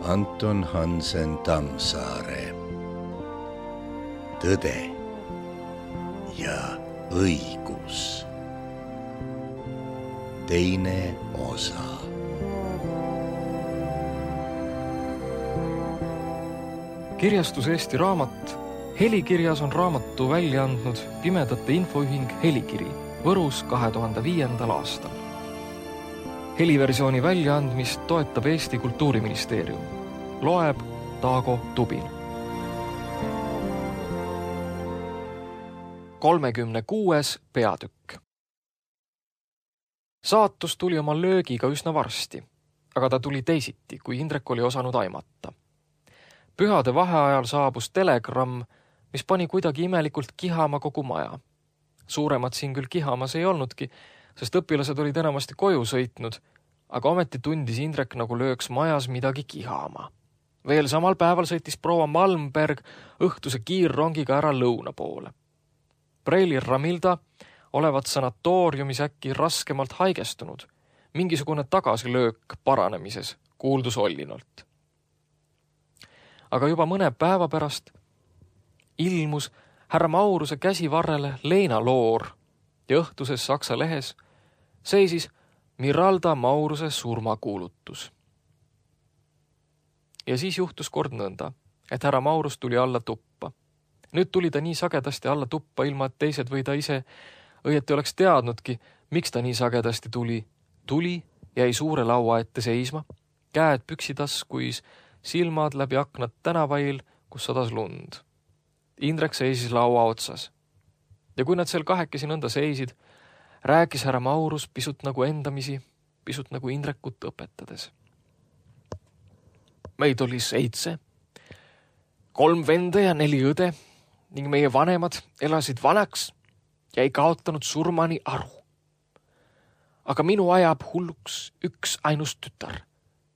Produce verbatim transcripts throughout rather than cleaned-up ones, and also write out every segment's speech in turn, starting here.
Anton Hansen Tammsaare. Tõde ja õigus. Teine osa. Kirjastus Eesti Raamat. Helikirjas on raamatu välja andnud Pimedate Infoühing Helikiri Võrus kahe tuhande viiendal aastal. Heliversiooni väljaandmist toetab Eesti Kultuuriministeerium. Loeb Taago Tubin. kolmekümne kuues peatükk. Saatus tuli oma löögiga üsna varsti, aga ta tuli teisiti, kui Indrek oli osanud aimata. Pühade vaheajal saabus telegramm, mis pani kuidagi imelikult kihama kogu maja. Suuremad siin küll kihamas ei olnudki, sest õpilased olid enamasti koju sõitnud, aga ometi tundis Indrek nagu lööks majas midagi kihama. Veel samal päeval sõitis proua Malmberg õhtuse kiirrongiga ära lõuna poole. Preili Ramilda olevat sanatooriumis äkki raskemalt haigestunud. Mingisugune tagasilöök paranemises kuuldus Ollinult. Aga juba mõne päeva pärast ilmus härra Mauruse käsivarrele Leina Loor ja õhtuses Saksa lehes seisis Miralda Mauruse surmakuulutus. Ja siis juhtus kord nõnda, et härra Maurus tuli alla tuppa. Nüüd tuli ta nii sagedasti alla tuppa, ilma et teised või ta ise õieti oleks teadnudki, miks ta nii sagedasti tuli. Tuli, jäi suure laua ette seisma, käed püksitaskuis, silmad läbi aknad tänavail, kus sadas lund. Indrek seisis laua otsas. Ja kui nad seal kahekesi nõnda seisid, rääkis härra Maurus pisut nagu endamisi, pisut nagu Indrekut õpetades. Meid oli seitse, kolm venda ja neli õde ning meie vanemad elasid vanaks ja ei kaotanud surmani aru. Aga minu ajab hulluks üks ainus tütar.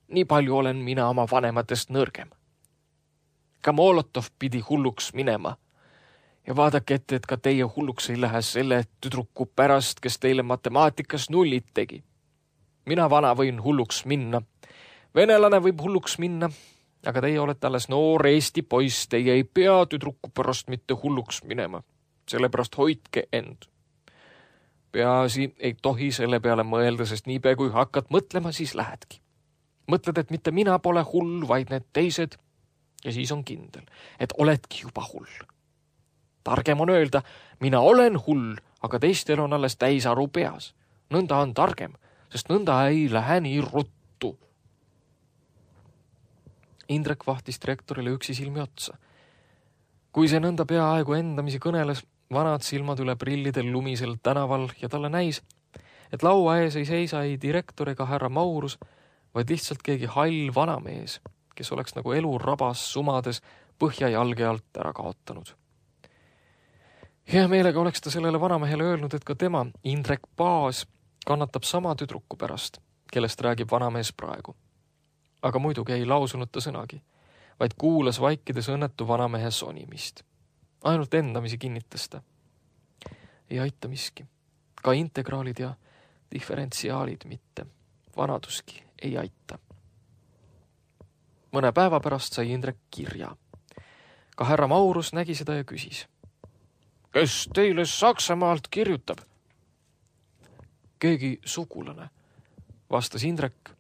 Nii palju olen mina oma vanematest nõrgem. Ka Molotov pidi hulluks minema. Ja vaadake ette, et ka teie hulluks ei lähe selle tüdruku pärast, kes teile matemaatikas nullid tegi. Mina vana võin hulluks minna. Venelane võib hulluks minna, aga teie olete alles noor Eesti poiss, teie ei pea tüdruku pärast mitte hulluks minema. Sellepärast hoidke end. Peaasi ei tohi selle peale mõelda, sest niipea kui hakkad mõtlema, siis lähedki. Mõtled, et mitte mina pole hull, vaid need teised, ja siis on kindel, et oledki juba hull. Targem on öelda, mina olen hull, aga teistel on alles täisaru peas. Nõnda on targem, sest nõnda ei lähe nii ruttu. Indrek vahtis direktorile üksi silmi otsa. Kui see nõnda peaaegu endamisi kõneles, vanad silmad üle prillidel lumisel tänaval ja talle näis, et laua ees ei seisa ei direktor ega härra Maurus, vaid lihtsalt keegi hall vanamees, kes oleks nagu elu rabas sumades põhja jalge alt ära kaotanud. Hea meelega oleks ta sellele vanamehele öelnud, et ka tema, Indrek Paas, kannatab sama tüdruku pärast, kellest räägib vanamees praegu. Aga muidugi ei lausunud ta sõnagi, vaid kuulas vaikides õnnetu vanamehe sonimist. Ainult endamisi kinnitas ta. Ei aita miski. Ka integraalid ja diferentsiaalid mitte. Vanaduski ei aita. Mõne päeva pärast sai Indrek kirja. Ka härra Maurus nägi seda ja küsis. Kes teile Saksamaalt kirjutab? Keegi sugulane, vastas Indrek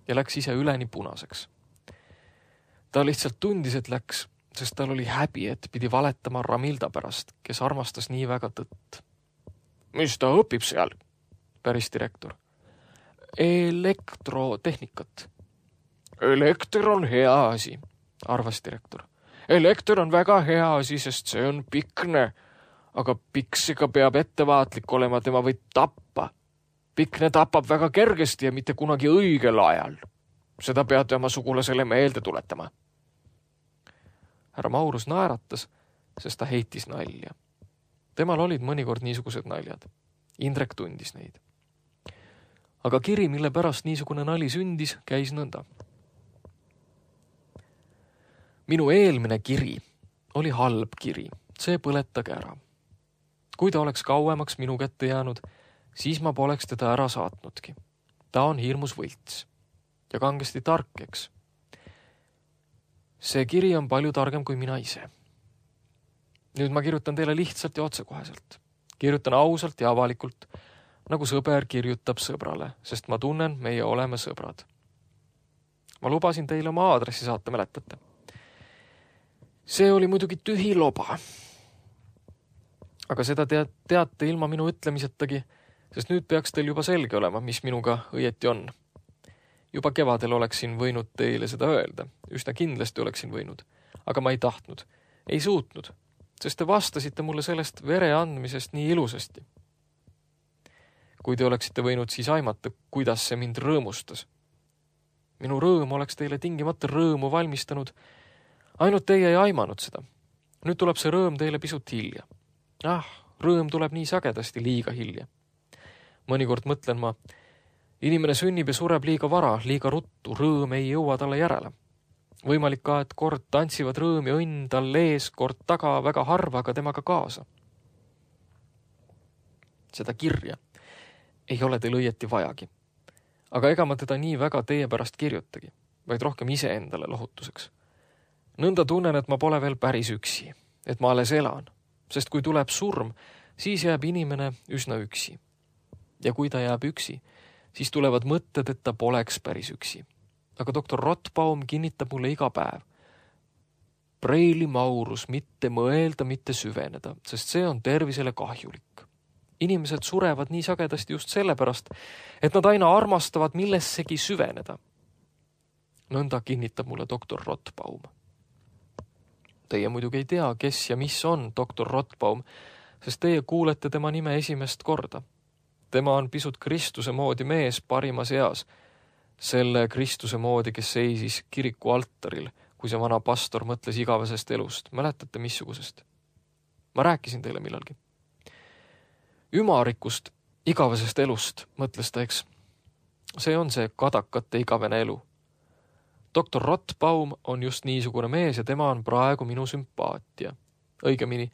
ja läks ise üleni punaseks. Ta lihtsalt tundis, et läks, sest tal oli häbi, et pidi valetama Ramilda pärast, kes armastas nii väga tõtt. Mis ta õpib seal? Päris direktor. Elektrotehnikat. Elekter on hea asi, arvas direktor. Elekter on väga hea asi, sest see on pikne, aga piksiga peab ettevaatlik olema, tema võib tappa. Pikne tapab väga kergesti ja mitte kunagi õigel ajal. Seda peate oma sugulasele meelde tuletama. Härra Maurus naeratas, sest ta heitis nalja. Temal olid mõnikord niisugused naljad. Indrek tundis neid. Aga kiri, mille pärast niisugune nali sündis, käis nõnda. Minu eelmine kiri oli halb kiri, see põletage ära. Kui ta oleks kauemaks minu kätte jäänud, siis ma poleks teda ära saatnudki. Ta on hirmus võlts ja kangesti tark, eks. see kiri on palju targem kui mina ise. Nüüd ma kirjutan teile lihtsalt ja otsekoheselt. Kirjutan ausalt ja avalikult, nagu sõber kirjutab sõbrale, sest ma tunnen, meie oleme sõbrad. Ma lubasin teile oma aadressi saata, mäletate. See oli muidugi tühi loba. Aga seda tead, teate ilma minu ütlemisetagi, sest nüüd peaks teil juba selge olema, mis minuga õieti on. Juba kevadel oleksin võinud teile seda öelda, üsna kindlasti oleksin võinud, aga ma ei tahtnud, ei suutnud, sest te vastasite mulle sellest vere andmisest nii ilusasti. Kui te oleksite võinud siis aimata, kuidas see mind rõõmustas. Minu rõõm oleks teile tingimata rõõmu valmistanud, ainult teie ei aimanud seda. Nüüd tuleb see rõõm teile pisut hilja. Ah, rõõm tuleb nii sagedasti liiga hilja. Mõnikord mõtlen ma, inimene sünnib ja sureb liiga vara, liiga ruttu, rõõm ei jõua talle järele. Võimalik ka, et kord tantsivad rõõm ja õnn tal ees, kord taga väga harva ka temaga kaasa. Seda kirja ei ole teil õieti vajagi. Aga ega ma teda nii väga teie pärast kirjutagi, vaid rohkem ise endale lohutuseks. Nõnda tunnen, et ma pole veel päris üksi, et ma alles elan, sest kui tuleb surm, siis jääb inimene üsna üksi. Ja kui ta jääb üksi, siis tulevad mõtted, et ta poleks päris üksi. Aga doktor Rottbaum kinnitab mulle iga päev. Preili Maurus, mitte mõelda, mitte süveneda, sest see on tervisele kahjulik. Inimesed surevad nii sagedasti just sellepärast, et nad aina armastavad millessegi süveneda. Nõnda kinnitab mulle doktor Rottbaum. Teie muidugi ei tea, kes ja mis on doktor Rottbaum, sest teie kuulete tema nime esimest korda. Tema on pisut Kristuse moodi mees parimas eas, selle Kristuse moodi, kes seisis kiriku altaril, kui see vana pastor mõtles igavesest elust. Mäletate missugusest? Ma rääkisin teile millalgi. Ümarikust igavesest elust, mõtles ta, eks. See on see kadakate igavene elu. doktor Rottbaum on just niisugune mees ja tema on praegu minu sümpaatia. Õigemini,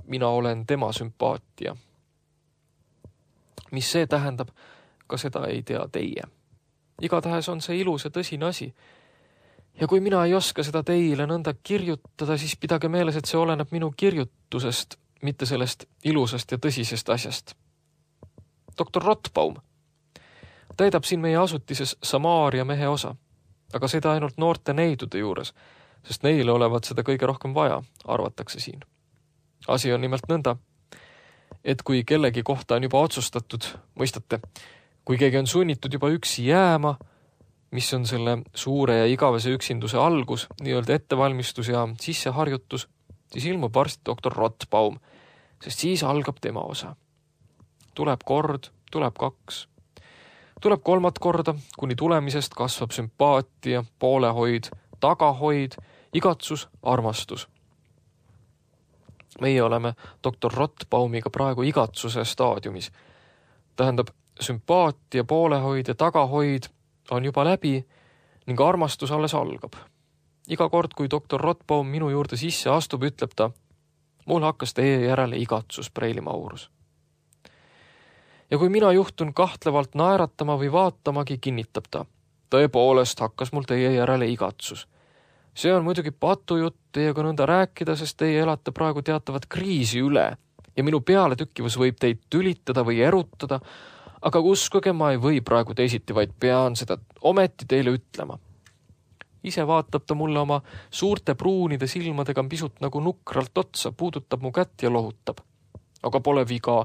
mina olen tema sümpaatia. Mis see tähendab, ka seda ei tea teie. Igatahes on see ilus ja tõsine asi. Ja kui mina ei oska seda teile nõnda kirjutada, siis pidage meeles, et see oleneb minu kirjutusest, mitte sellest ilusast ja tõsisest asjast. doktor Rottbaum täidab siin meie asutises Samaaria mehe osa, aga seda ainult noorte neidude juures, sest neile olevat seda kõige rohkem vaja, arvatakse siin. Asi on nimelt nõnda, et kui kellegi kohta on juba otsustatud, mõistate, kui keegi on sunnitud juba üksi jääma, mis on selle suure ja igavese üksinduse algus, nii-öelda ettevalmistus ja sisseharjutus, siis ilmub varsti doktor Rottbaum, sest siis algab tema osa. Tuleb kord, tuleb kaks. Tuleb kolmat korda, kuni tulemisest kasvab sümpaatia, poolehoid, tagahoid, igatsus, armastus. Meie oleme doktor Rottbaumiga praegu igatsuse staadiumis. Tähendab, sümpaatia, poolehoid ja tagahoid on juba läbi ning armastus alles algab. Iga kord, kui doktor Rottbaum minu juurde sisse astub, ütleb ta, mul hakkas teie järele igatsus, Preili Maurus. Ja kui mina juhtun kahtlevalt naeratama või vaatamagi, kinnitab ta, tõepoolest hakkas mul teie järele igatsus. See on muidugi patujutt teiega nõnda rääkida, sest teie elate praegu teatavat kriisi üle ja minu pealetükkivus võib teid tülitada või erutada, aga uskuge, ma ei või praegu teisiti, vaid pean seda ometi teile ütlema. Ise vaatab ta mulle oma suurte pruunide silmadega pisut nagu nukralt otsa, puudutab mu kätt ja lohutab. Aga pole viga.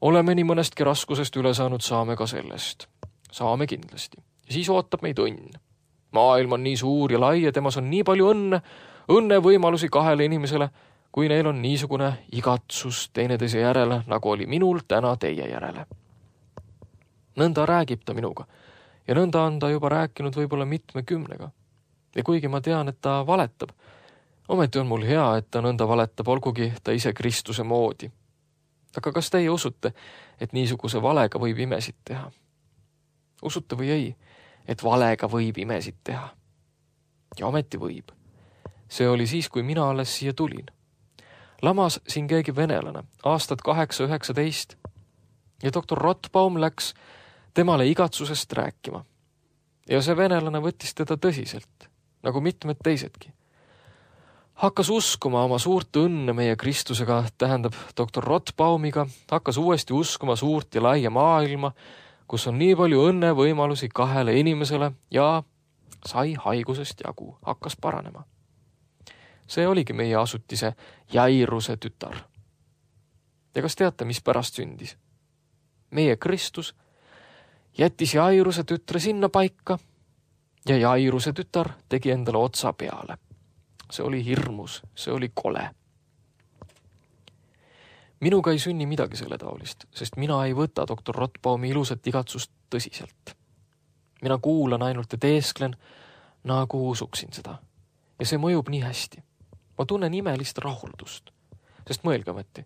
Oleme nii mõnestki raskusest üle saanud, saame ka sellest. Saame kindlasti. Ja siis ootab meid õnn. Maailm on nii suur ja lai ja temas on nii palju õnne, õnne võimalusi kahele inimesele, kui neil on niisugune igatsus teineteise järele, nagu oli minul täna teie järele. Nõnda räägib ta minuga ja nõnda on ta juba rääkinud võib-olla mitme kümnega. Ja kuigi ma tean, et ta valetab, ometi on mul hea, et ta nõnda valetab, olgugi ta ise Kristuse moodi. Aga kas teie usute, et niisuguse valega võib imesid teha? Usute või ei, et valega võib imesid teha? Ja ometi võib. See oli siis, kui mina alles siia tulin. Lamas siin keegi venelane, aastad kaheksa üheksateist, ja doktor Rottbaum läks temale igatsusest rääkima. Ja see venelane võttis teda tõsiselt, nagu mitmed teisedki. Hakkas uskuma oma suurt õnne meie Kristusega, tähendab doktor Rothbaumiga, hakkas uuesti uskuma suurt ja laia maailma, kus on nii palju õnne võimalusi kahele inimesele ja sai haigusest jagu, hakkas paranema. See oligi meie asutise Jairuse tütar. Ja kas teate, mis pärast sündis? Meie Kristus jättis Jairuse tütre sinna paika ja Jairuse tütar tegi endale otsa peale. See oli hirmus, see oli kole. Minuga ei sünni midagi selle taolist, sest mina ei võta doktor Rothbaumi ilusat igatsust tõsiselt. Mina kuulan ainult ja teesklen, nagu usuksin seda. Ja see mõjub nii hästi. Ma tunnen imelist rahuldust, sest mõelge ometi.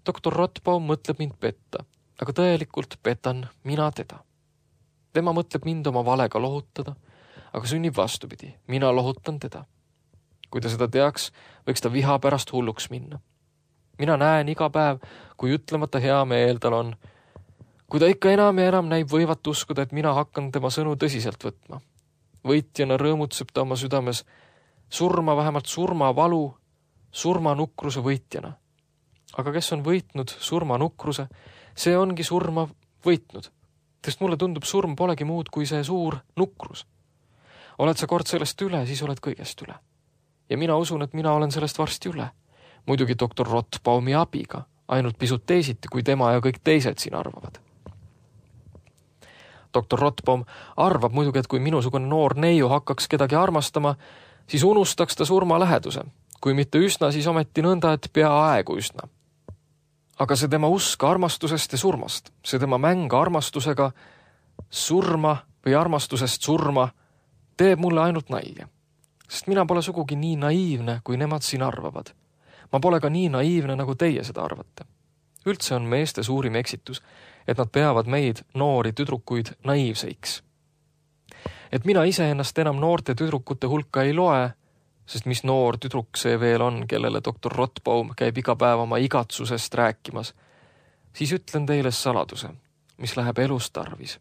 doktor Rothbaum mõtleb mind petta, aga tõelikult petan mina teda. Tema mõtleb mind oma valega lohutada, aga sünnib vastupidi, mina lohutan teda. Kui ta seda teaks, võiks ta viha pärast hulluks minna. Mina näen iga päev, kui ütlemata hea meel tal on. Kui ta ikka enam ja enam näib võivat uskuda, et mina hakkan tema sõnu tõsiselt võtma. Võitjana rõõmutseb ta oma südames surma, vähemalt surmavalu, surmanukruse võitjana. Aga kes on võitnud surmanukruse, see ongi surma võitnud. Sest mulle tundub, surm polegi muud kui see suur nukrus. Oled sa kord sellest üle, siis oled kõigest üle. Ja mina usun, et mina olen sellest varsti üle. Muidugi doktor Rothbaumi abiga, ainult pisut teisiti, kui tema ja kõik teised siin arvavad. doktor Rothbaum arvab muidugi, et kui minusugune noor neiu hakkaks kedagi armastama, siis unustaks ta surma läheduse. Kui mitte üsna, siis ometi nõnda, et peaaegu üsna. Aga see tema usk armastusest ja surmast, see tema mäng armastusega surma või armastusest surma teeb mulle ainult nalja. Sest mina pole sugugi nii naiivne, kui nemad siin arvavad. Ma pole ka nii naiivne, nagu teie seda arvate. Üldse on meeste suurim eksitus, et nad peavad meid, noori tüdrukuid, naiivseiks. Et mina ise ennast enam noorte tüdrukute hulka ei loe, sest mis noor tüdruk see veel on, kellele doktor Rothbaum käib iga päev oma igatsusest rääkimas, siis ütlen teile saladuse, mis läheb elus tarvis.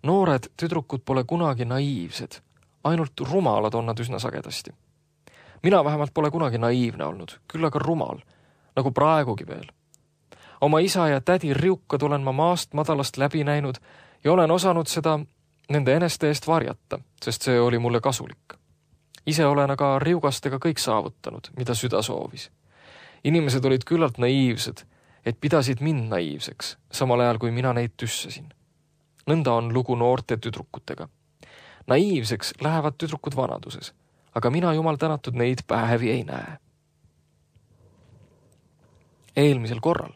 Noored tüdrukud pole kunagi naiivsed, ainult rumalad on nad üsna sagedasti. Mina vähemalt pole kunagi naiivne olnud, küll aga rumal, nagu praegugi veel. Oma isa ja tädi riukad olen ma maast madalast läbi näinud ja olen osanud seda nende eneste eest varjata, sest see oli mulle kasulik. Ise olen aga riugastega kõik saavutanud, mida süda soovis. Inimesed olid küllalt naiivsed, et pidasid mind naiivseks, samal ajal kui mina neid tüssasin. Nõnda on lugu noorte tüdrukutega. Naiivseks lähevad tüdrukud vanaduses, aga mina jumal tänatud neid päevi ei näe. Eelmisel korral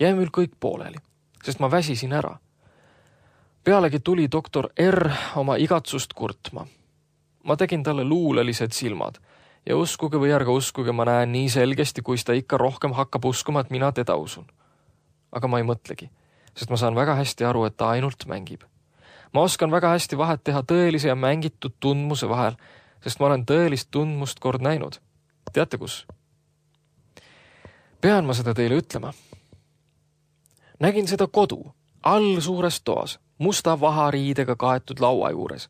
jäi mul kõik pooleli, sest ma väsisin ära. Pealegi tuli doktor R oma igatsust kurtma. Ma tegin talle luulelised silmad ja uskuge või ärge uskuge, ma näen nii selgesti, kui ta ikka rohkem hakkab uskuma, et mina teda usun. Aga ma ei mõtlegi, sest ma saan väga hästi aru, et ta ainult mängib. Ma oskan väga hästi vahet teha tõelise ja mängitud tundmuse vahel, sest ma olen tõelist tundmust kord näinud. Teate kus? Pean ma seda teile ütlema. Nägin seda kodu, all suures toas, musta vahariidega kaetud laua juures.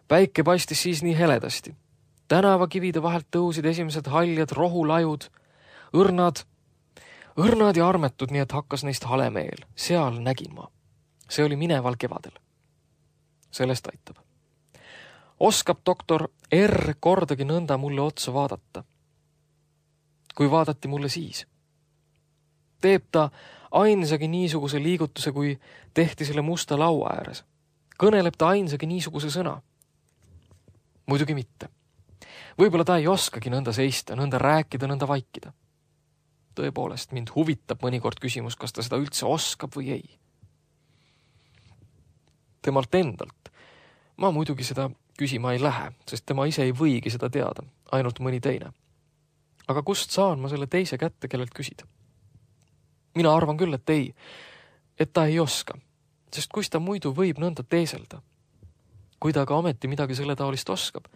Päike paistis siis nii heledasti. Tänavakivide vahelt tõusid esimesed haljad rohulajud, õrnad, õrnad ja armetud, nii et hakkas neist hale meel. Seal nägin ma. See oli mineval kevadel. Sellest aitab. Oskab doktor R kordagi nõnda mulle otsa vaadata. Kui vaadati mulle siis. Teeb ta ainsagi niisuguse liigutuse, kui tehti selle musta laua ääres. Kõneleb ta ainsagi niisuguse sõna. Muidugi mitte. Võib-olla ta ei oskagi nõnda seista, nõnda rääkida, nõnda vaikida. Tõepoolest, mind huvitab mõnikord küsimus, kas ta seda üldse oskab või ei. Temalt endalt ma muidugi seda küsima ei lähe, sest tema ise ei võigi seda teada, ainult mõni teine. Aga kust saan ma selle teise kätte, kellelt küsida? Mina arvan küll, et ei, et ta ei oska, sest kus ta muidu võib nõnda teeselda? Kui ta aga ometi midagi selle taolist oskab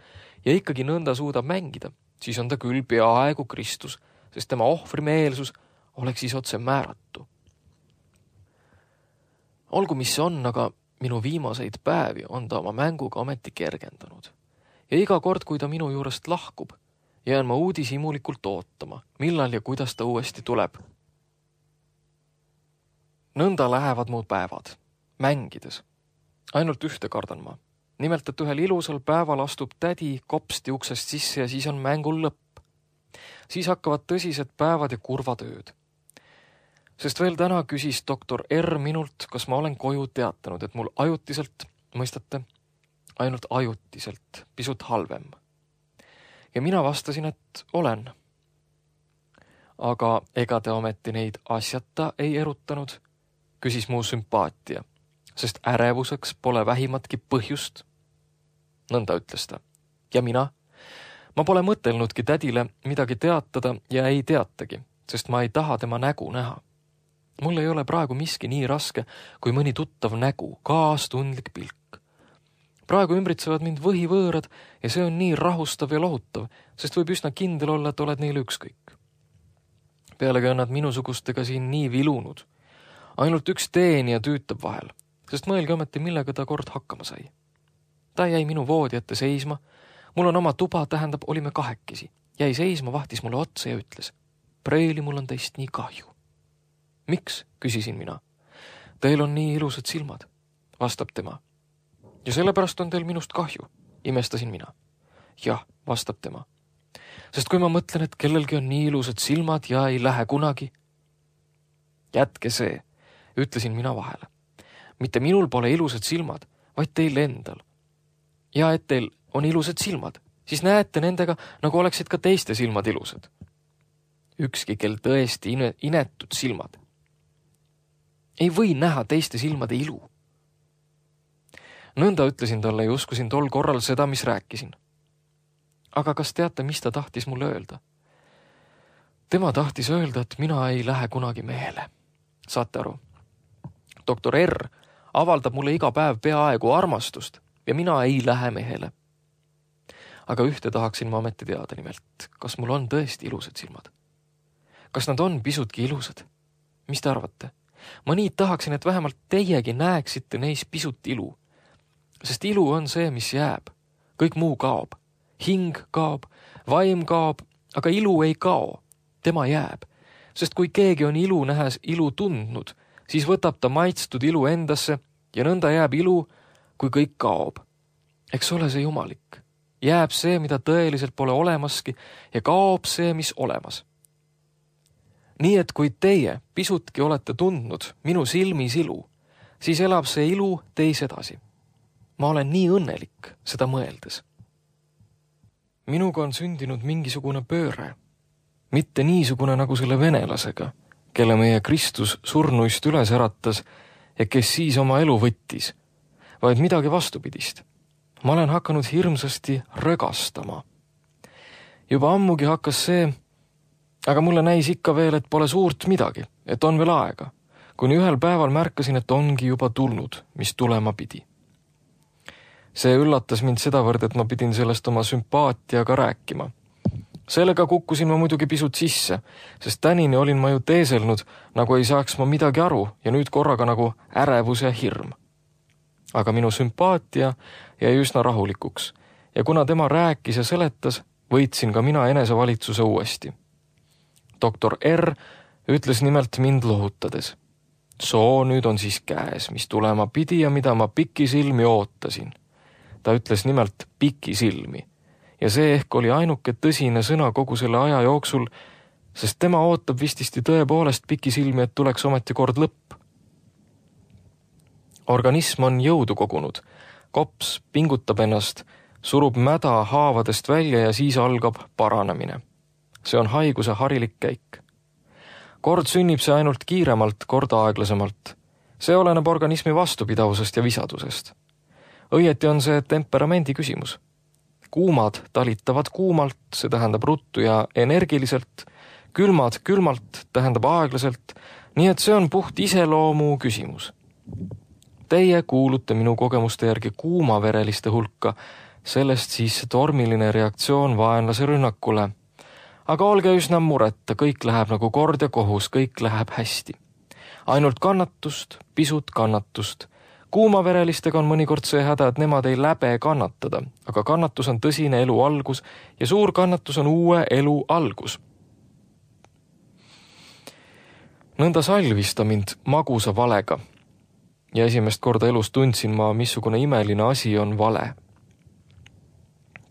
ja ikkagi nõnda suudab mängida, siis on ta küll peaaegu Kristus, sest tema ohvrimeelsus oleks siis otse määratu. Olgu, mis see on, aga minu viimaseid päevi on ta oma mänguga ometi kergendanud. Ja iga kord, kui ta minu juurest lahkub, jään ma uudishimulikult ootama, millal ja kuidas ta uuesti tuleb. Nõnda lähevad mu päevad, mängides. Ainult ühte kardan ma. Nimelt, et ühel ilusal päeval astub tädi kopsti uksest sisse ja siis on mängul lõpp. Siis hakkavad tõsised päevad ja kurvad ööd. Sest veel täna küsis doktor R minult, kas ma olen koju teatanud, et mul ajutiselt, mõistate, ainult ajutiselt, pisut halvem. Ja mina vastasin, et olen. Aga ega te ometi neid asjata ei erutanud, küsis mu sümpaatia, sest ärevuseks pole vähimatki põhjust. Nõnda ütles ta. Ja mina? Ma pole mõtelnudki tädile midagi teatada ja ei teatagi, sest ma ei taha tema nägu näha. Mul ei ole praegu miski nii raske, kui mõni tuttav nägu, kaastundlik pilk. Praegu ümbritsevad mind võhivõõrad ja see on nii rahustav ja lohutav, sest võib üsna kindel olla, et oled neile ükskõik. Pealegi on nad minusugustega siin nii vilunud. Ainult üks teenija tüütab vahel, sest mõelge ometi, millega ta kord hakkama sai. Ta jäi minu voodi ette seisma, mul on oma tuba, tähendab, olime kahekesi. Jäi seisma, vahtis mulle otsa ja ütles, Preili, mul on teist nii kahju. Miks, küsisin mina. Teil on nii ilusad silmad, vastab tema. Ja sellepärast on teil minust kahju, imestasin mina. Jah, vastab tema. Sest kui ma mõtlen, et kellelgi on nii ilusad silmad ja ei lähe kunagi. Jätke see, ütlesin mina vahele. Mitte minul pole ilusad silmad, vaid teil endal. Ja et teil on ilusad silmad, siis näete nendega, nagu oleksid ka teiste silmad ilusad. Ükski, kel tõesti inetud silmad. Ei või näha teiste silmade ilu. Nõnda ütlesin talle ja uskusin tol korral seda, mis rääkisin. Aga kas teate, mis ta tahtis mulle öelda? Tema tahtis öelda, et mina ei lähe kunagi mehele. Saate aru? doktor R avaldab mulle iga päev peaaegu armastust ja mina ei lähe mehele. Aga ühte tahaksin ma ometi teada nimelt, kas mul on tõesti ilusad silmad? Kas nad on pisutki ilusad? Mis te arvate? Ma nii tahaksin, et vähemalt teiegi näeksite neis pisut ilu. Sest ilu on see, mis jääb. Kõik muu kaob. Hing kaob, vaim kaob, aga ilu ei kao. Tema jääb. Sest kui keegi on ilu nähes ilu tundnud, siis võtab ta maitstud ilu endasse ja nõnda jääb ilu, kui kõik kaob. Eks ole see jumalik. Jääb see, mida tõeliselt pole olemaski ja kaob see, mis olemas. Nii et kui teie pisutki olete tundnud minu silmis ilu, siis elab see ilu teis edasi. Ma olen nii õnnelik seda mõeldes. Minuga on sündinud mingisugune pööre. Mitte niisugune nagu selle venelasega, kelle meie Kristus surnuist üles äratas ja kes siis oma elu võttis, vaid midagi vastupidist. Ma olen hakanud hirmsasti rögastama. Juba ammugi hakkas see, aga mulle näis ikka veel, et pole suurt midagi, et on veel aega, kuni ühel päeval märkasin, et ongi juba tulnud, mis tulema pidi. See üllatas mind sedavõrd, et ma pidin sellest oma sümpaatiaga rääkima. Sellega kukkusin ma muidugi pisut sisse, sest tänini olin ma ju teeselnud, nagu ei saaks ma midagi aru ja nüüd korraga nagu ärevus ja hirm. Aga minu sümpaatia jäi üsna rahulikuks ja kuna tema rääkis ja seletas, võitsin ka mina enesevalitsuse uuesti. doktor R ütles nimelt mind lohutades. Soo nüüd on siis käes, mis tulema pidi ja mida ma pikisilmi ootasin. Ta ütles nimelt pikisilmi ja see ehk oli ainuke tõsine sõna kogu selle aja jooksul, sest tema ootab vististi tõepoolest pikisilmi, et tuleks ometi kord lõpp. Organism on jõudu kogunud, kops pingutab ennast, surub mäda haavadest välja ja siis algab paranemine. See on haiguse harilik käik. Kord sünnib see ainult kiiremalt, kord aeglasemalt. See oleneb organismi vastupidavusest ja visadusest. Õieti on see temperamendi küsimus. Kuumad talitavad kuumalt, see tähendab ruttu ja energiliselt, külmad külmalt tähendab aeglaselt, nii et see on puht iseloomu küsimus. Teie kuulute minu kogemuste järgi kuumavereliste hulka, sellest siis tormiline reaktsioon vaenlase rünnakule. Aga olge üsna mureta, kõik läheb nagu kord ja kohus, kõik läheb hästi. Ainult kannatust, pisut kannatust, kuumaverelistega on mõnikord see häda, et nemad ei läbe kannatada, aga kannatus on tõsine elu algus ja suur kannatus on uue elu algus. Nõnda salvis ta mind magusa valega ja esimest korda elus tundsin ma, missugune imeline asi on vale.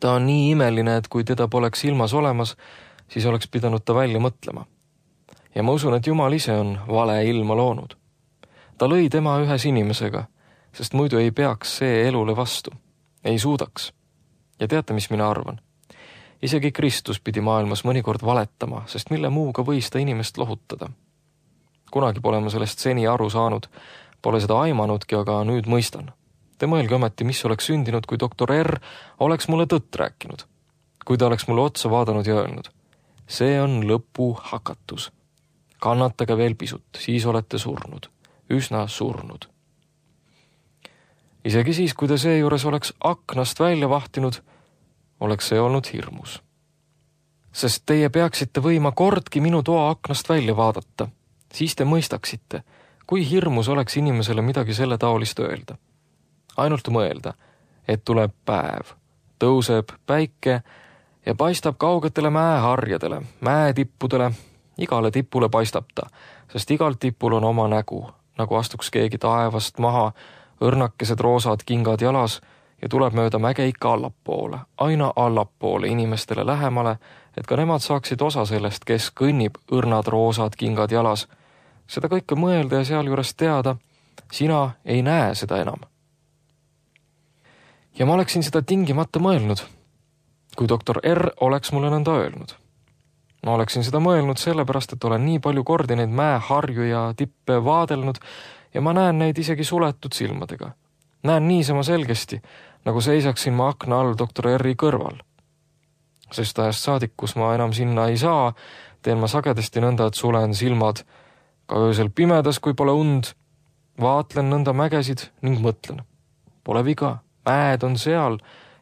Ta on nii imeline, et kui teda poleks ilmas olemas, siis oleks pidanud ta välja mõtlema. Ja ma usun, et Jumal ise on vale ilma loonud. Ta lõi tema ühes inimesega, sest muidu ei peaks see elule vastu. Ei suudaks. Ja teate, mis mina arvan? Isegi Kristus pidi maailmas mõnikord valetama, sest mille muuga võis ta inimest lohutada. Kunagi pole ma sellest seni aru saanud, pole seda aimanudki, aga nüüd mõistan. Te mõelge ometi, mis oleks sündinud, kui doktor R oleks mulle tõtt rääkinud. Kui ta oleks mulle otsa vaadanud ja öelnud, see on lõpu hakatus. Kannatage veel pisut, siis olete surnud. Üsna surnud. Isegi siis, kui ta seejuures oleks aknast välja vahtinud, oleks see olnud hirmus. Sest teie peaksite võima kordki minu toa aknast välja vaadata. Siis te mõistaksite, kui hirmus oleks inimesele midagi selle taolist öelda. Ainult mõelda, et tuleb päev, tõuseb päike ja paistab kaugetele mäeharjadele, mäetippudele, igale tipule paistab ta, sest igal tipul on oma nägu, nagu astuks keegi taevast maha, õrnakesed roosad kingad jalas ja tuleb mööda mäge ikka allapoole, aina allapoole inimestele lähemale, et ka nemad saaksid osa sellest, kes kõnnib õrnad roosad kingad jalas. Seda kõike mõelda ja sealjuures teada, sina ei näe seda enam. Ja ma oleksin seda tingimata mõelnud, kui doktor R oleks mulle nõnda öelnud. Ma oleksin seda mõelnud sellepärast, et olen nii palju kordi neid mäeharju ja tippe vaadelnud ja ma näen neid isegi suletud silmadega. Näen niisama selgesti, nagu seisaksin ma akna all doktor R-i kõrval. Sest ajast saadik, kus ma enam sinna ei saa, teen ma sagedasti nõnda, et sulen silmad ka öösel pimedas, kui pole und, vaatlen nõnda mägesid ning mõtlen. Pole viga, mäed on seal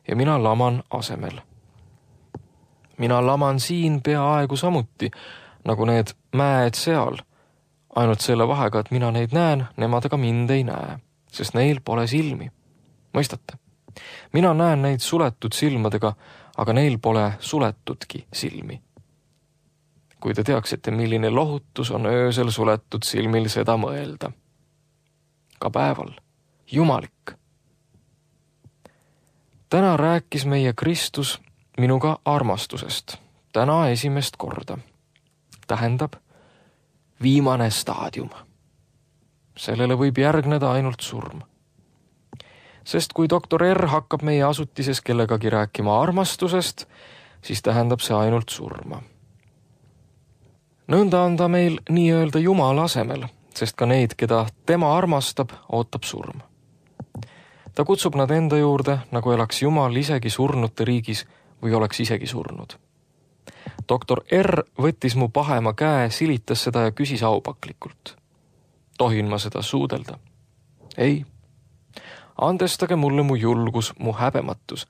ja mina laman asemel. Mina laman siin peaaegu samuti, nagu need mäed seal, ainult selle vahega, et mina neid näen, nemad aga mind ei näe, sest neil pole silmi. Mõistate? Mina näen neid suletud silmadega, aga neil pole suletudki silmi. Kui te teaksite, milline lohutus on öösel suletud silmil seda mõelda. Ka päeval. Jumalik. Täna rääkis meie Kristus minuga armastusest. Täna esimest korda. Tähendab, viimane staadium. Sellele võib järgneda ainult surm. Sest kui doktor R hakkab meie asutises kellegagi rääkima armastusest, siis tähendab see ainult surma. Nõnda on ta meil nii-öelda Jumala asemel, sest ka neid, keda tema armastab, ootab surm. Ta kutsub nad enda juurde, nagu elaks Jumal isegi surnute riigis või oleks isegi surnud. doktor R võttis mu pahema käe, silitas seda ja küsis aupaklikult. Tohin ma seda suudelda? Ei. Andestage mulle mu julgus, mu häbematus,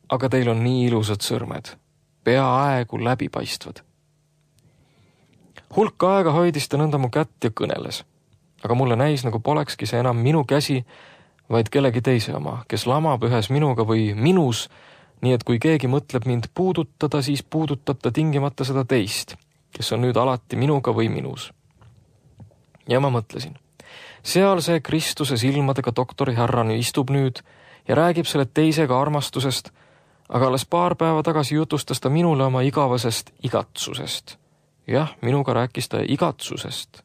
aga teil on nii ilusad sõrmed, peaaegu läbipaistvad. Hulk aega hoidis ta nõnda mu kätt ja kõneles, aga mulle näis, nagu polekski see enam minu käsi, vaid kellegi teise oma, kes lamab ühes minuga või minus, nii et kui keegi mõtleb mind puudutada, siis puudutab ta tingimata seda teist, kes on nüüd alati minuga või minus. Ja ma mõtlesin, seal see Kristuse silmadega doktori härrani istub nüüd ja räägib selle teisega armastusest, aga alles paar päeva tagasi jutustas ta minule oma igavasest igatsusest. Jah, minuga rääkis ta igatsusest.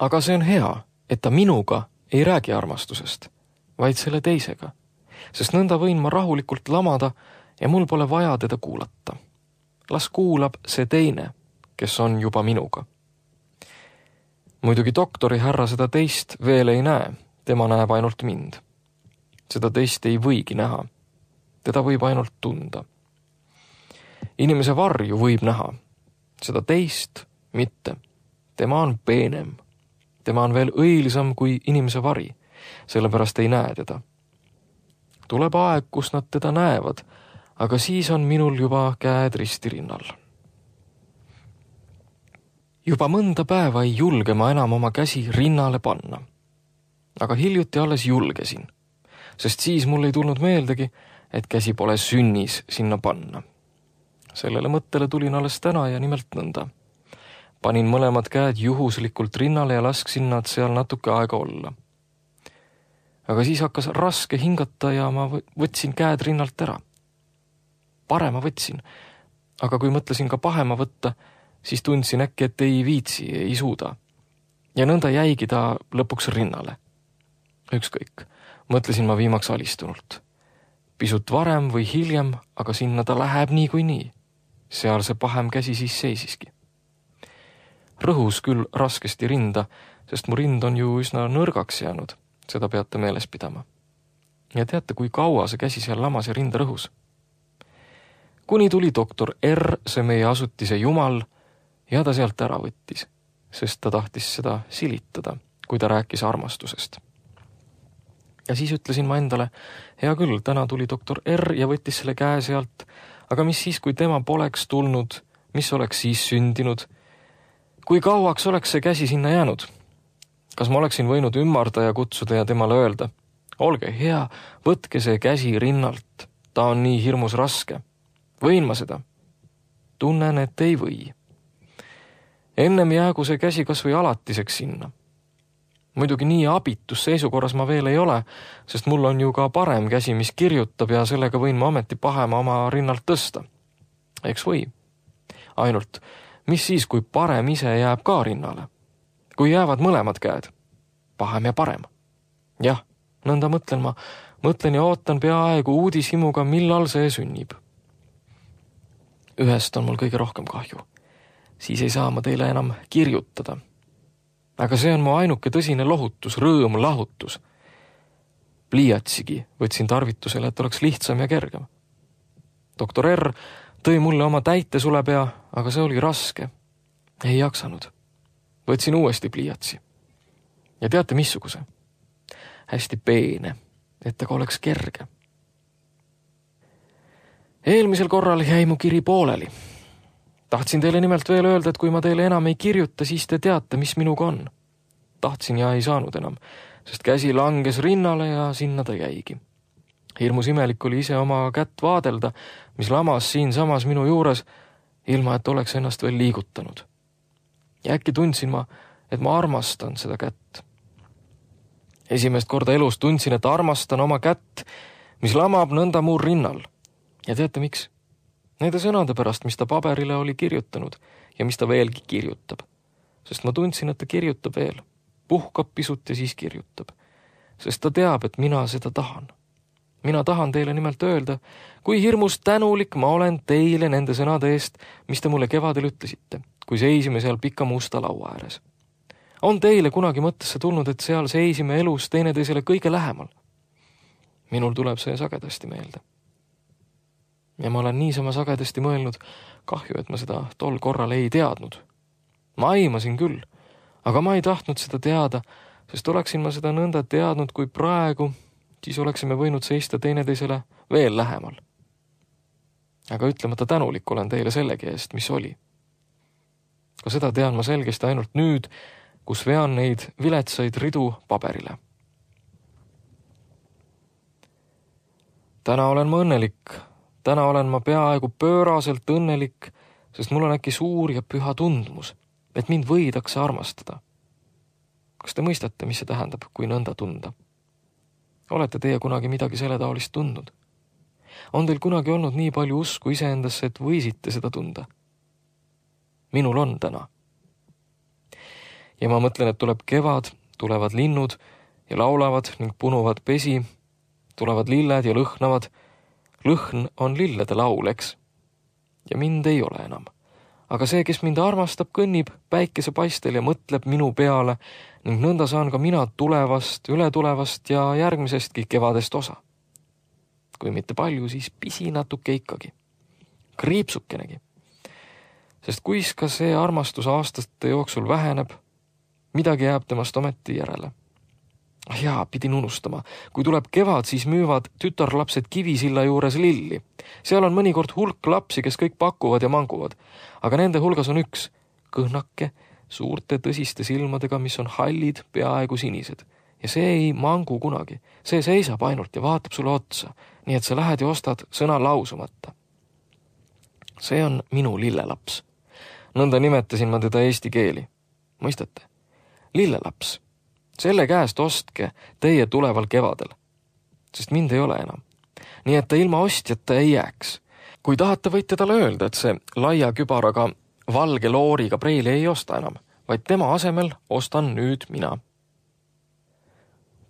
Aga see on hea, et ta minuga ei räägi armastusest, vaid selle teisega, sest nõnda võin ma rahulikult lamada ja mul pole vaja teda kuulata. Las kuulab see teine, kes on juba minuga. Muidugi doktori härra seda teist veel ei näe, tema näeb ainult mind. Seda teist ei võigi näha, teda võib ainult tunda. Inimese varju võib näha, seda teist mitte. Tema on peenem. Tema on veel õilisam kui inimese vari, sellepärast ei näe teda. Tuleb aeg, kus nad teda näevad, aga siis on minul juba käed ristirinnal. Juba mõnda päeva ei julge ma enam oma käsi rinnale panna. aga hiljuti alles julgesin, sest siis mul ei tulnud meeldegi, et käsi pole sünnis sinna panna. Sellele mõttele tulin alles täna ja nimelt nõnda. Panin mõlemad käed juhuslikult rinnale ja lasksin nad seal natuke aega olla. Aga siis hakkas raske hingata ja ma võtsin käed rinnalt ära. Parema võtsin, aga kui mõtlesin ka pahema võtta, siis tundsin äkki, et ei viitsi, ei suuda. Ja nõnda jäigi ta lõpuks rinnale. Ükskõik, mõtlesin ma viimaks alistunult. Pisut varem või hiljem, aga sinna ta läheb nii kui nii. Seal see pahem käsi siis seisiski. Rõhus küll raskesti rinda, sest mu rind on ju üsna nõrgaks jäänud, seda peate meeles pidama. Ja teate, kui kaua see käsi seal lamas ja rinda rõhus? Kuni tuli doktor R, see meie asutise jumal, ja ta sealt ära võttis, sest ta tahtis seda silitada, kui ta rääkis armastusest. Ja siis ütlesin ma endale, hea küll, täna tuli doktor R ja võttis selle käe sealt, aga mis siis, kui tema poleks tulnud, mis oleks siis sündinud? Kui kauaks oleks see käsi sinna jäänud? Kas ma oleksin võinud ümmarda ja kutsuda ja temale öelda? Olge hea, võtke see käsi rinnalt, ta on nii hirmus raske. Võin ma seda? Tunnen, et ei või. Ennem jäägu see käsi kas või alatiseks sinna. Muidugi nii abitus seisukorras ma veel ei ole, sest mul on ju ka parem käsi, mis kirjutab ja sellega võin ma ometi pahema oma rinnalt tõsta. Eks või. Ainult, mis siis, kui parem ise jääb ka rinnale? Kui jäävad mõlemad käed? Pahem ja parem. Jah, nõnda mõtlen ma. Mõtlen ja ootan peaaegu uudishimuga, millal see sünnib. Ühest on mul kõige rohkem kahju. Siis ei saa ma teile enam kirjutada. Aga see on mu ainuke tõsine lohutus, rõõm, lahutus. Pliiatsigi võtsin tarvitusele, et oleks lihtsam ja kergem. doktor R tõi mulle oma täitesulepea, aga see oli raske. Ei jaksanud. Võtsin uuesti pliiatsi. Ja teate missuguse? Hästi peene, et aga oleks kerge. Eelmisel korral jäi mu kiri pooleli. Tahtsin teile nimelt veel öelda, et kui ma teile enam ei kirjuta, siis te teate, mis minuga on. Tahtsin ja ei saanud enam, sest käsi langes rinnale ja sinna ta jäigi. Hirmus imelik oli ise oma kätt vaadelda, mis lamas siin samas minu juures, ilma et oleks ennast veel liigutanud. Ja äkki tundsin ma, et ma armastan seda kätt. Esimest korda elus tundsin, et armastan oma kätt, mis lamab nõnda muu rinnal. Ja teate miks? Nende sõnade pärast, mis ta paberile oli kirjutanud ja mis ta veelgi kirjutab. Sest ma tundsin, et ta kirjutab veel. Puhkab pisut ja siis kirjutab. Sest ta teab, et mina seda tahan. Mina tahan teile nimelt öelda, kui hirmus tänulik ma olen teile nende sõnade eest, mis te mulle kevadel ütlesite, kui seisime seal pika musta laua ääres. On teile kunagi mõttesse tulnud, et seal seisime elus teineteisele kõige lähemal? Minul tuleb see sagedasti meelde. Ja ma olen niisama sagedasti mõelnud, kahju, et ma seda tol korral ei teadnud. Ma aimasin küll, aga ma ei tahtnud seda teada, sest oleksin ma seda nõnda teadnud kui praegu, siis oleksime võinud seista teineteisele veel lähemal. Aga ütlemata tänulik olen teile sellegi eest, mis oli. Ka seda tean ma selgesti ainult nüüd, kus vean neid viletsaid ridu paberile. Täna olen ma õnnelik. Täna olen ma peaaegu pööraselt õnnelik, sest mul on äkki suur ja püha tundmus, et mind võidakse armastada. Kas te mõistate, mis see tähendab, kui nõnda tunda? Olete teie kunagi midagi selle taolist tundnud? On teil kunagi olnud nii palju usku iseendasse, et võisite seda tunda? Minul on täna. Ja ma mõtlen, et tuleb kevad, tulevad linnud ja laulavad ning punuvad pesi, tulevad lilled ja lõhnavad. Lõhn on lillede laul, eks? Ja mind ei ole enam. Aga see, kes mind armastab, kõnnib päikese paistel ja mõtleb minu peale ning nõnda saan ka mina tulevast, ületulevast ja järgmisestki kevadest osa. Kui mitte palju, siis pisi natuke ikkagi. Kriipsukenegi. Sest kuis ka see armastus aastate jooksul väheneb, midagi jääb temast ometi järele. Jaa, pidin unustama. Kui tuleb kevad, siis müüvad tütarlapsed Kivisilla juures lilli. Seal on mõnikord hulk lapsi, kes kõik pakuvad ja manguvad. Aga nende hulgas on üks kõhnake, suurte tõsiste silmadega, mis on hallid, peaaegu sinised. ja see ei mangu kunagi. See seisab ainult ja vaatab sulle otsa, nii et sa lähed ja ostad sõna lausumata. See on minu lillelaps. Nõnda nimetasin ma teda eesti keeli. Mõistate? Lillelaps. Selle käest ostke teie tuleval kevadel, sest mind ei ole enam. Nii et ta ilma ostjata ei jääks. Kui tahate, võite talle öelda, et see laia kübaraga valge looriga preili ei osta enam, vaid tema asemel ostan nüüd mina.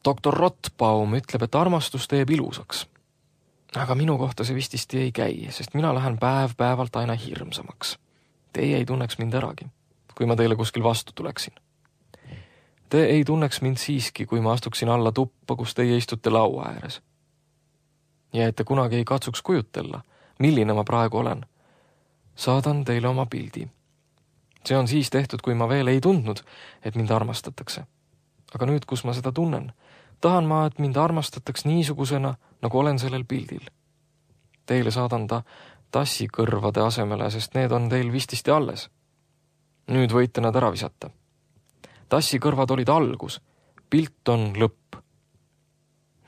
Doktor Rottbaum ütleb, et armastus teeb ilusaks. Aga minu kohta see vististi ei käi, sest mina lähen päev päevalt aina hirmsamaks. Teie ei tunneks mind äragi, kui ma teile kuskil vastu tuleksin. Te ei tunneks mind siiski, kui ma astuksin alla tuppa, kus teie istute laua ääres. Ja et te kunagi ei katsuks kujutella, milline ma praegu olen. Saadan teile oma pildi. See on siis tehtud, kui ma veel ei tundnud, et mind armastatakse. Aga nüüd, kus ma seda tunnen, tahan ma, et mind armastataks niisugusena, nagu olen sellel pildil. Teile saadan ta tassikõrvade asemele, sest need on teil vististi alles. Nüüd võite nad ära visata. Tassikõrvad olid algus, pilt on lõpp.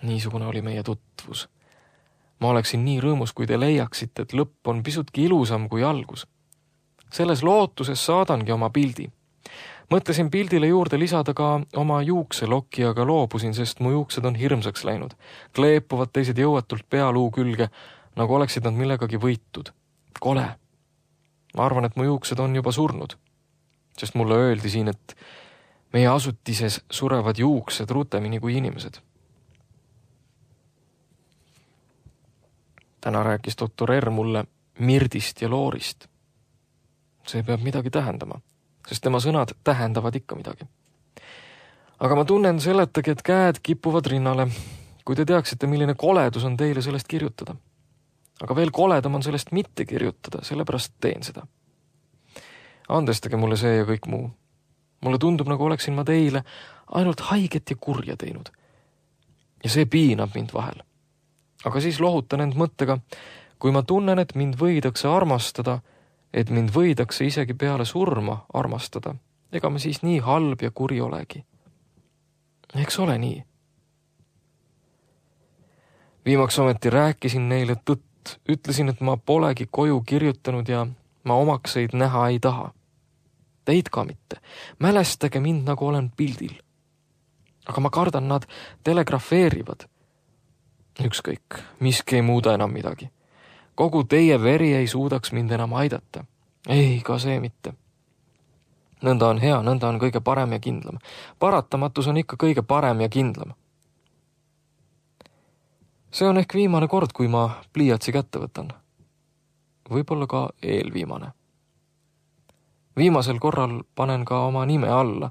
Niisugune oli meie tutvus. Ma oleksin nii rõõmus, kui te leiaksite, et lõpp on pisutki ilusam kui algus. Selles lootuses saadangi oma pildi. Mõtlesin pildile juurde lisada ka oma juukselokki, aga loobusin, sest mu juuksed on hirmsaks läinud. Kleepuvad teised jõuatult pealuu külge, nagu oleksid nad millegagi võitud. Kole. Ma arvan, et mu juuksed on juba surnud, sest mulle öeldi siin, et meie asutises surevad juuksed rutemini kui inimesed. Täna rääkis doktor R mulle Mirdist ja Loorist. See peab midagi tähendama, sest tema sõnad tähendavad ikka midagi. Aga ma tunnen seletagi, et käed kipuvad rinnale, kui te teaksite, milline koledus on teile sellest kirjutada. Aga veel koledam on sellest mitte kirjutada, sellepärast teen seda. Andestage mulle see ja kõik muu. Mulle tundub, nagu oleksin ma teile ainult haiget ja kurja teinud. Ja see piinab mind vahel. Aga siis lohutan end mõttega, kui ma tunnen, et mind võidakse armastada, et mind võidakse isegi peale surma armastada, ega ma siis nii halb ja kuri olegi. Eks ole nii. Viimaks ometi rääkisin neile tõtt, ütlesin, et ma polegi koju kirjutanud ja ma omakseid näha ei taha. Teid ka mitte. Mälestage mind, nagu olen pildil. Aga ma kardan, nad telegrafeerivad. Ükskõik, miski ei muuda enam midagi. Kogu teie veri ei suudaks mind enam aidata. Ei, ka see mitte. Nõnda on hea, nõnda on kõige parem ja kindlam. Paratamatus on ikka kõige parem ja kindlam. See on ehk viimane kord, kui ma pliiatsi kätte võtan. Võib-olla ka eelviimane. Viimasel korral panen ka oma nime alla,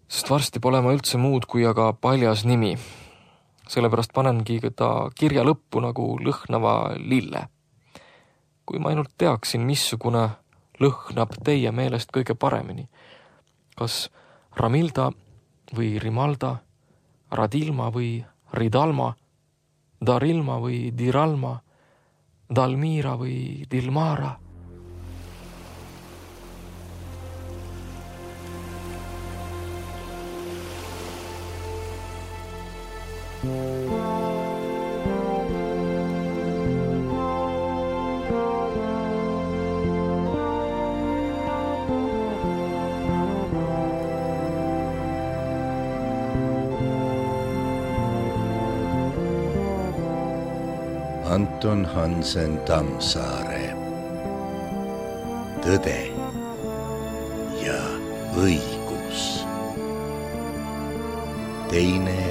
sest varsti pole ma üldse muud kui aga paljas nimi. Sellepärast panengi ta kirja lõppu nagu lõhnava lille. Kui ma ainult teaksin, missugune lõhnab teie meelest kõige paremini. Kas Ramilda või Rimalda, Radilma või Ridalma, Darilma või Diralma, Dalmira või Dilmara. Anton Hansen Tammsaare. Tõde ja õigus. Teine